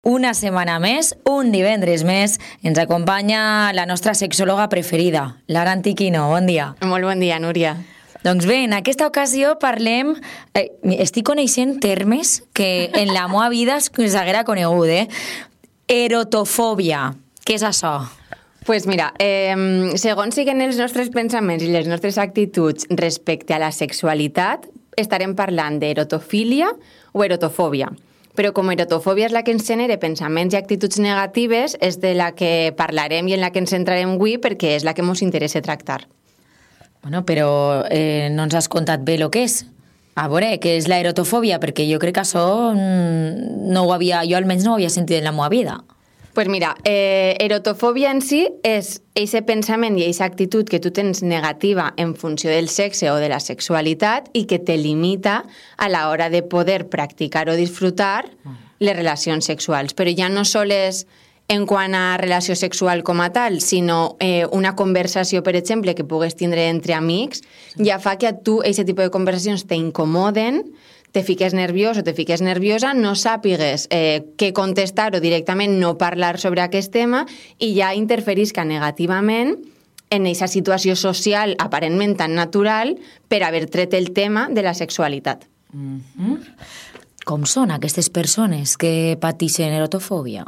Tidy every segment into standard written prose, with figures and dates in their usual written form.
Una setmana més, un divendres més, ens acompanya la nostra sexòloga preferida, Lara Antiquino. Bon dia. Molt bon dia, Núria. Doncs bé, en aquesta ocasió parlem... estic coneixent termes que en la meva vida s'haguera conegut, Erotofòbia. Què és això? Pues mira, segons siguen els nostres pensaments i les nostres actituds respecte a la sexualitat, estarem parlant d'erotofília o erotofòbia. Però com erotofòbia és la que ens genera pensaments i actituds negatives, és de la que parlarem i en la que ens centrarem avui perquè és la que ens interessa tractar. Bueno, però no ens has contat bé el que és. A veure, què és la erotofòbia? Perquè jo crec que això no ho havia, jo almenys no ho havia sentit en la meva vida. Pues mira, erotofòbia en si és aquest pensament i aquesta actitud que tu tens negativa en funció del sexe o de la sexualitat i que te limita a l'hora de poder practicar o disfrutar les relacions sexuals. Però ja no sols en quant a relació sexual com a tal, sinó una conversació, per exemple, que pugues tindre entre amics, ja fa que a tu aquest tipus de conversacions t'incomoden, te fiques nerviós o te fiques nerviosa, no sàpigues què contestar o directament no parlar sobre aquest tema i ja interferisca negativament en aquesta situació social aparentment tan natural per haver tret el tema de la sexualitat. Com són aquestes persones que pateixen erotofòbia?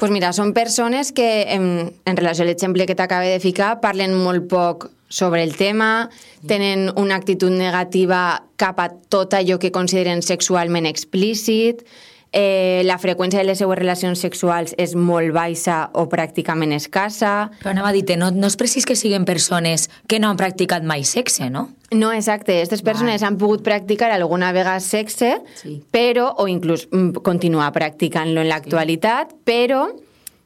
Pues mira, són persones que, en relació a l'exemple que t'acabo de ficar, parlen molt poc sobre el tema, tenen una actitud negativa cap a tot allò que consideren sexualment explícit, la freqüència de les seues relacions sexuals és molt baixa o pràcticament escassa. Però anava a dir, no és precís que siguin persones que no han practicat mai sexe, no? No, exacte. Aquestes persones han pogut practicar alguna vegada sexe, però, o inclús continuar practicant-lo en l'actualitat, però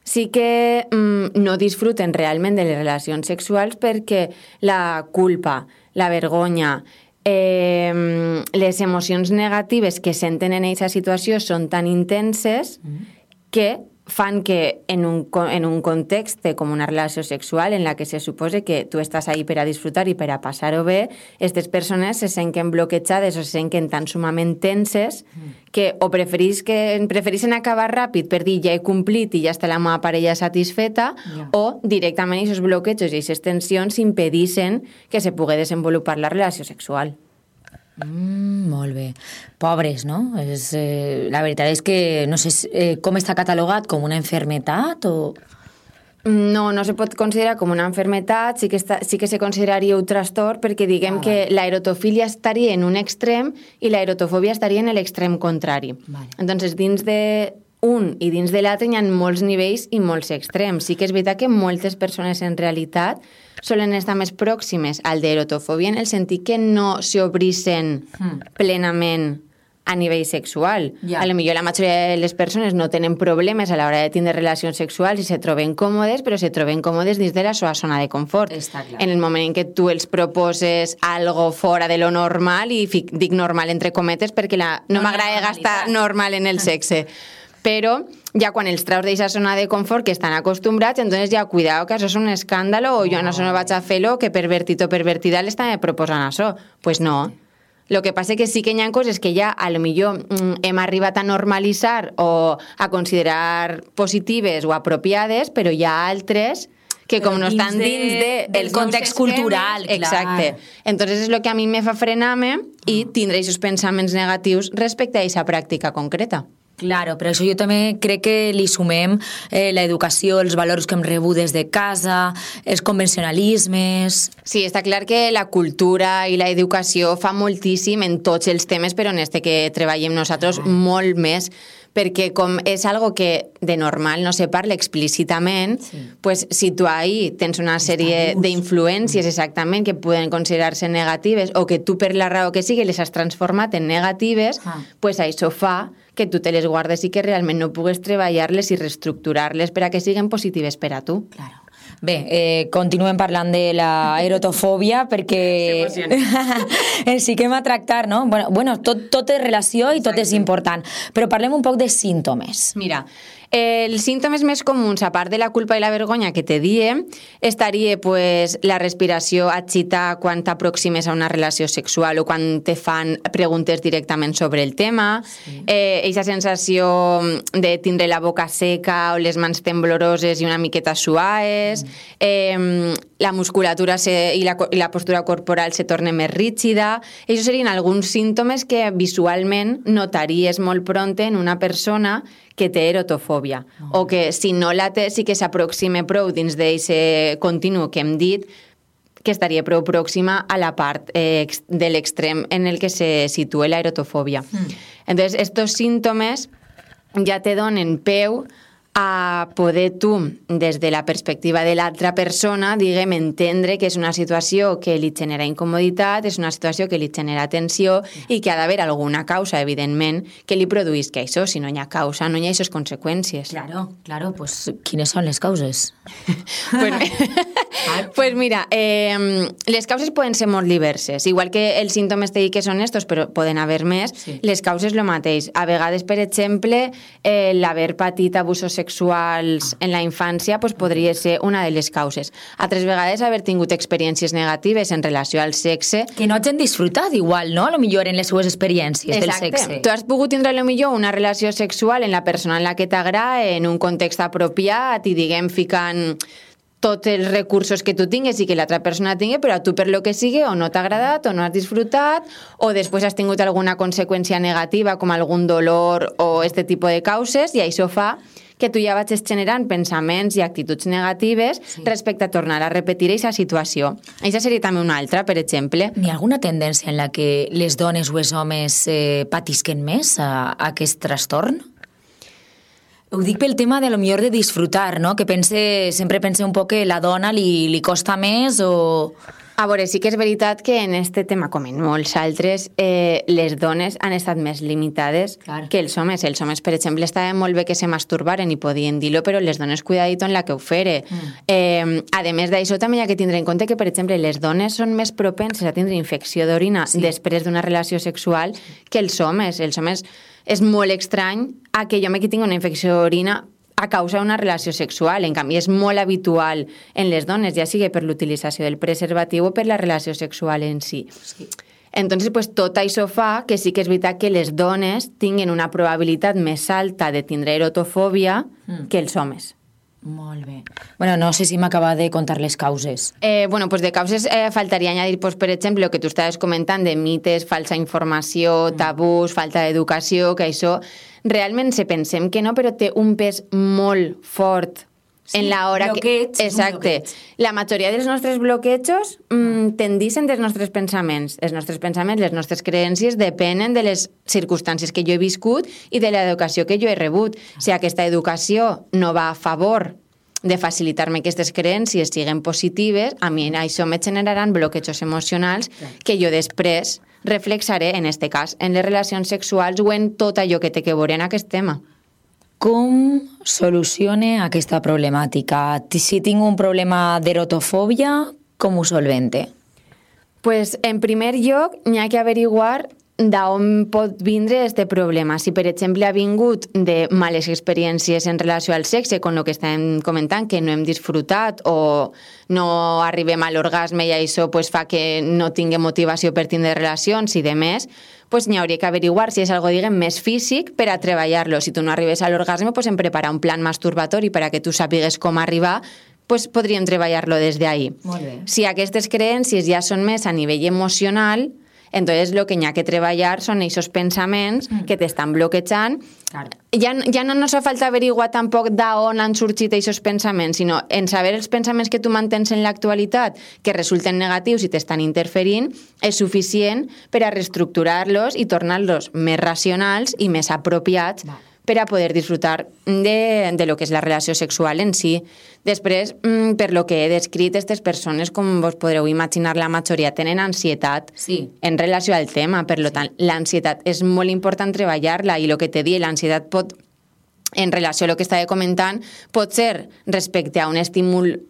sí que no disfruten realment de les relacions sexuals perquè la culpa, la vergonya, les emocions negatives que senten en aquesta situació són tan intenses que fan que en un context com una relació sexual en la que se suposa que tu estàs ahí per a disfrutar i per a passar-ho bé, aquestes persones se senten bloquejades o se senten tan sumament tenses que o prefereixen acabar ràpid per dir ja he complit i ja està la meva parella satisfeta, o directament aquests bloquejos i aquestes tensions impedeixen que se pugui desenvolupar la relació sexual. Molt bé. Pobres, no? La veritat és que no sé com està catalogat, com una enfermetat o... No se pot considerar com una enfermetat, sí que se consideraria un trastorn perquè diguem que l'aerotofília estaria en un extrem i l'aerotofòbia estaria en l'extrem contrari. Entonces, dins d'un i dins de l'altre hi ha molts nivells i molts extrems. Sí que és veritat que moltes persones en realitat solen estar més pròximes al d'erotofòbia en el sentit que no s'obrisen plenament a nivell sexual. A lo millor la majoria de les persones no tenen problemes a l'hora de tindre relacions sexuals i se troben còmodes, però se troben còmodes dins de la seva zona de confort. En el moment en què tu els proposes algo fora de lo normal, i dic normal entre cometes perquè no m'agrada gastar normal en el sexe, però ja quan els traus d'aquesta zona de confort que estan acostumbrats, entonces ja cuidao que això és un escàndalo o jo no vaig a fer-lo, que pervertit o pervertida l'està proposant això. Pues no. El que passa que sí que hi ha coses que ja a lo millor hem arribat a normalitzar o a considerar positives o apropiades, però hi ha altres que com no estan dins del context cultural. Exacte. Entonces és el que a mi me fa frenar-me i tindre aquests pensaments negatius respecte a aquesta pràctica concreta. Claro, però això jo també crec que li sumem l'educació, els valors que hem rebut des de casa, els convencionalismes... Sí, està clar que la cultura i l'educació fa moltíssim en tots els temes, però en este que treballem nosaltres molt més, perquè com és algo que de normal no se parla explícitament, pues si tu ahí tens una sèrie d'influències exactament que poden considerar-se negatives o que tu per la raó que sigui les has transformat en negatives, pues això fa que tu te les guardes i que realment no pugues treballar-les i reestructurar-les per a que siguin positives per a tu. Claro. Bé, continuem parlant de la erotofòbia perquè sí que hem a tractar, no? Bueno, tot és relació i tot és important, però parlem un poc de símptomes. Mira, els símptomes més comuns, a part de la culpa i la vergonya que te diem, estaria pues, la respiració agita quan t'aproximes a una relació sexual o quan te fan preguntes directament sobre el tema, eixa sensació de tindre la boca seca o les mans tembloroses i una miqueta suaes, la musculatura i la postura corporal se torna més rígida. Això serien alguns símptomes que visualment notaries molt pront en una persona que té erotofòbia, o que si no la té sí que s'aproxima prou dins d'aquest continu que hem dit, que estaria prou pròxima a la part de l'extrem en el que se situa la erotofòbia. Entonces, estos síntomes ja te donen peu a poder tu, des de la perspectiva de l'altra persona, diguem, entendre que és una situació que li genera incomoditat, és una situació que li genera tensió i que ha d'haver alguna causa, evidentment, que li produïsca això. Si no hi ha causa, no hi ha aquestes conseqüències. Claro, pues, quines són les causes? Pues mira, les causes poden ser molt diverses. Igual que els símptomes te dic que són estos, però poden haver més, les causes lo mateix. A vegades, per exemple, l'haver patit abusos sexuals en la infància pues, podria ser una de les causes. Altres vegades haver tingut experiències negatives en relació al sexe. Que no hagin disfrutat igual, no? A lo millor en les seues experiències del sexe. Tu has pogut tindre a lo millor una relació sexual en la persona en la que t'agrada, en un context apropiat i diguem ficant tots els recursos que tu tingues i que l'altra persona tingui, però a tu per lo que sigui o no t'ha agradat o no has disfrutat o després has tingut alguna conseqüència negativa com algun dolor o este tipus de causes i això fa que tu ja vagis generant pensaments i actituds negatives respecte a tornar a repetir aquesta situació. Això seria també una altra, per exemple. N'hi ha alguna tendència en la que les dones o els homes patisquen més a aquest trastorn? Ho dic pel tema de lo millor de disfrutar, no? Que sempre pense un poc que la dona li costa més o... A veure, sí que és veritat que en este tema, com en molts altres, les dones han estat més limitades que els homes. Els homes, per exemple, estava molt bé que se masturbaren i podien dir-lo, però les dones cuidadito en la que ho fere. A més d'això, també hi ha que tindre en compte que, per exemple, les dones són més propenses a tindre infecció d'orina després d'una relació sexual que els homes. Els homes és molt estrany a que jo que tingui una infecció d'orina a causa d'una relació sexual. En canvi, és molt habitual en les dones, ja sigui per l'utilització del preservatiu o per la relació sexual en si. Entonces, pues, tot això fa que sí que és veritat que les dones tinguin una probabilitat més alta de tindre erotofòbia que els homes. Molt bé. Bueno, no sé si m'acaba de contar les causes. Pues de causes faltaria añadir, pues, per exemple, el que tu estaves comentant de mites, falsa informació, tabús, falta d'educació, que això realment se pensem que no, però té un pes molt fort en la hora bloqueig, que... Exacte. La majoria dels nostres bloquejos tendixen dels nostres pensaments. Els nostres pensaments, les nostres creences depenen de les circumstàncies que jo he viscut i de l'educació que jo he rebut. Si aquesta educació no va a favor de facilitar-me aquestes creences siguin positives, a mi això me generaran bloquejos emocionals que jo després reflexaré, en este cas, en les relacions sexuals o en tot allò que té que veure en aquest tema. Com solucione aquesta problemàtica? Si tinc un problema d'erotofòbia, com ho solvente? Pues, en primer lloc, n'hi ha que averiguar d'on pot vindre este problema. Si, per exemple, ha vingut de males experiències en relació al sexe, con el que estàvem comentant, que no hem disfrutat o no arribem a l'orgasme i això pues, fa que no tingui motivació per tindre relacions i de més, pues n'hi hauria que averiguar si és algo, diguem, més físic per a treballar-lo. Si tu no arribes a l'orgasme, pues en preparar un plan masturbatori per a que tu sàpigues com arribar, pues podríem treballar-lo des d'ahí. Molt bé. Si aquestes creences ja són més a nivell emocional, entonces lo que n'hi ha que treballar són aquests pensaments que t'estan bloquejant. Claro. Ja no nos fa falta averiguar tampoc d'on han sorgit aquests pensaments, sinó en saber els pensaments que tu mantens en l'actualitat, que resulten negatius i t'estan interferint, és suficient per a reestructurar-los i tornar-los més racionals i més apropiats per a poder disfrutar de lo que és la relació sexual en si. Després, per lo que he descrit, aquestes persones, com vos podreu imaginar, la majoria tenen ansietat en relació al tema. Per tant, l'ansietat és molt important treballar-la i el que t'he dit, l'ansietat pot, en relació a lo que estava comentant, pot ser respecte a un estímul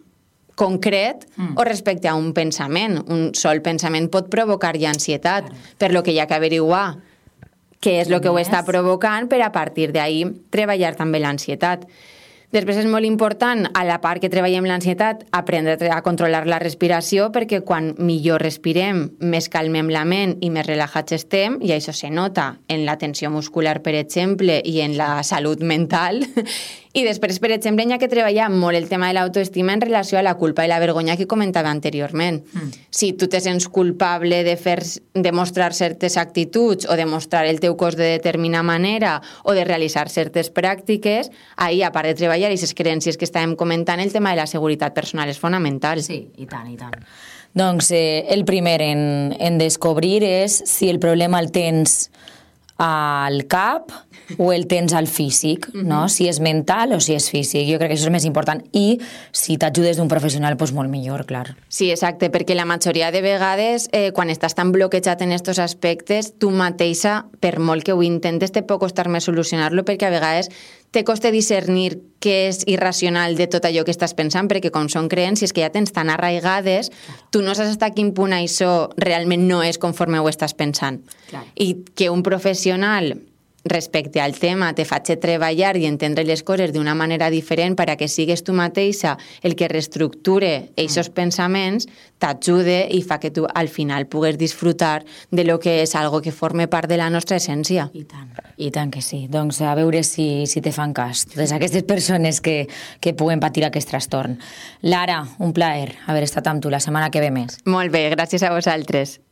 concret o respecte a un pensament. Un sol pensament pot provocar ja ansietat, per lo que hi ha que averiguar què és el que ho està provocant per a partir d'ahí treballar també l'ansietat. Després és molt important, a la part que treballem l'ansietat, aprendre a controlar la respiració, perquè quan millor respirem, més calmem la ment i més relajats estem, i això se nota en la tensió muscular, per exemple, i en la salut mental. I després, per exemple, hi ha que treballar molt el tema de l'autoestima en relació a la culpa i la vergonya que comentava anteriorment. Si tu te sents culpable de mostrar certes actituds o de mostrar el teu cos de determinada manera o de realitzar certes pràctiques, ahir, a part de treballar aquestes creences que estàvem comentant, el tema de la seguretat personal és fonamental. Sí, i tant, i tant. Doncs el primer en descobrir és si el problema el tens al cap o el tens al físic, no? Si és mental o si és físic. Jo crec que això és més important. I si t'ajudes d'un professional, doncs molt millor, clar. Sí, exacte, perquè la majoria de vegades, quan estàs tan bloquejat en aquests aspectes, tu mateixa, per molt que ho intentes, te pot costar més solucionar-lo, perquè a vegades te costa discernir què és irracional de tot allò que estàs pensant, perquè com són creences que ja tens tan arraigades, tu no saps fins a quin punt això realment no és conforme ho estàs pensant. Clar. I que un professional respecte al tema te faci treballar i entendre les coses d'una manera diferent per a que sigues tu mateixa el que reestructure aquests pensaments, t'ajude i fa que tu al final pugues disfrutar de lo que és algo que forme part de la nostra essència. I tant que sí. Doncs a veure si te fan cas totes aquestes persones que puguen patir aquest trastorn. Lara, un plaer haver estat amb tu la setmana que ve més. Molt bé, gràcies a vosaltres.